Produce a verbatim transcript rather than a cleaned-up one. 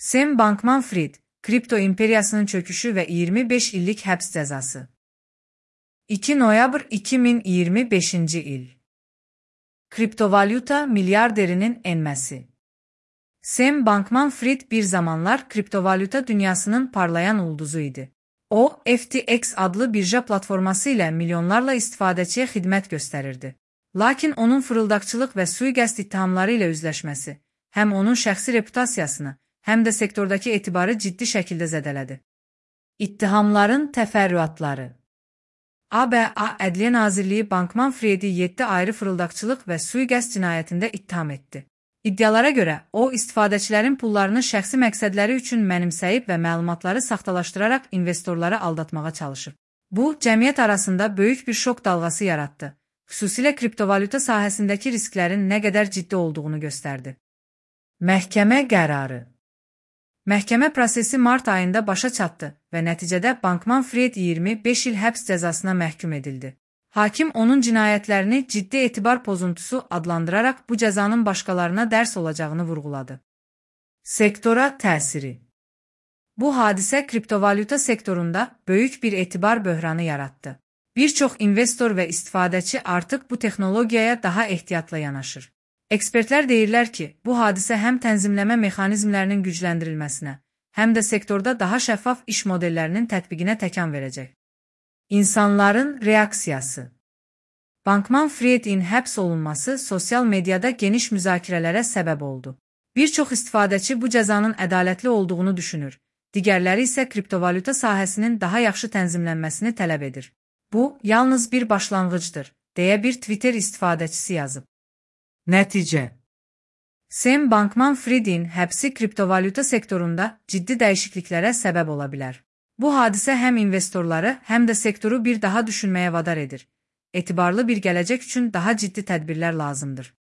Sam Bankman-Fried, kripto imperiyasının çöküşü ve iyirmi beş illik həbs cəzası. iki noyabr iki min iyirmi beşinci il. Kriptovalyuta milyarderinin enməsi. Sam Bankman-Fried bir zamanlar kriptovalyuta dünyasının parlayan ulduzu idi. O, F T X adlı birja platforması ilə milyonlarla istifadəçiyə xidmət göstərirdi. Lakin onun fırıldaqçılıq və sui-qəsd ittihamları ilə üzləşməsi, həm onun şəxsi reputasiyasını, həm də sektordakı etibarı ciddi şəkildə zədələdi. İttihamların təfərrüatları. A B A Ədliyyə Nazirliyi Bankman-Friedi yeddi ayrı fırıldaqçılıq və sui-qəsd cinayətində ittiham etdi. İddialara görə, o, istifadəçilərin pullarını şəxsi məqsədləri üçün mənimsəyib və məlumatları saxtalaşdıraraq investorları aldatmağa çalışıb. Bu, cəmiyyət arasında böyük bir şok dalğası yaratdı. Xüsusilə kriptovalyuta sahəsindəki risklərin nə qədər ciddi olduğunu göstərdi. Məhkəmə qərarı. Məhkəmə prosesi mart ayında başa çatdı və nəticədə Bankman-Fried iyirmi beş il həbs cəzasına məhkum edildi. Hakim onun cinayətlərini ciddi etibar pozuntusu adlandıraraq bu cəzanın başqalarına dərs olacağını vurğuladı. Sektora təsiri. Bu hadisə kriptovalyuta sektorunda böyük bir etibar böhranı yaratdı. Bir çox investor və istifadəçi artıq bu texnologiyaya daha ehtiyatla yanaşır. Ekspertlər deyirlər ki, bu hadisə həm tənzimləmə mexanizmlərinin gücləndirilməsinə, həm də sektorda daha şəffaf iş modellərinin tətbiqinə təkan verəcək. İnsanların reaksiyası. Bankman-Friedin həbs olunması sosial mediada geniş müzakirələrə səbəb oldu. Bir çox istifadəçi bu cəzanın ədalətli olduğunu düşünür, digərləri isə kriptovalyuta sahəsinin daha yaxşı tənzimlənməsini tələb edir. Bu, yalnız bir başlanğıcdır, deyə bir Twitter istifadəçisi yazıb. Nəticə. Sam Bankman-Friedin həbsi kriptovalyuta sektorunda ciddi dəyişikliklərə səbəb ola bilər. Bu hadisə həm investorları, həm də sektoru bir daha düşünməyə vadar edir. Etibarlı bir gələcək üçün daha ciddi tədbirlər lazımdır.